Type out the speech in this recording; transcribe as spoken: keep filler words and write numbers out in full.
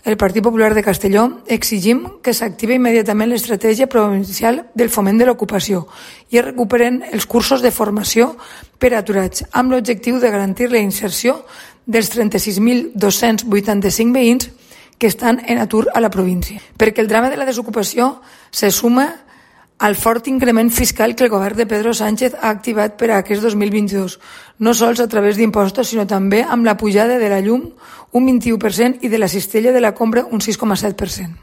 el Partit Popular de Castelló, exigim que s'active immediatament l'estratègia provincial del foment de l'ocupació i es recuperen els cursos de formació per a aturats, amb l'objectiu de garantir la inserció dels trenta-sis mil dos-cents vuitanta-cinc veïns que estan en atur a la província. Perquè el drama de la desocupació se suma al fort increment fiscal que el govern de Pedro Sánchez ha activat per a aquest dos mil vint-i-dos, no sols a través d'impostos, sinó també amb la pujada de la llum un vint-i-u per cent i de la cistella de la compra un sis coma set per cent.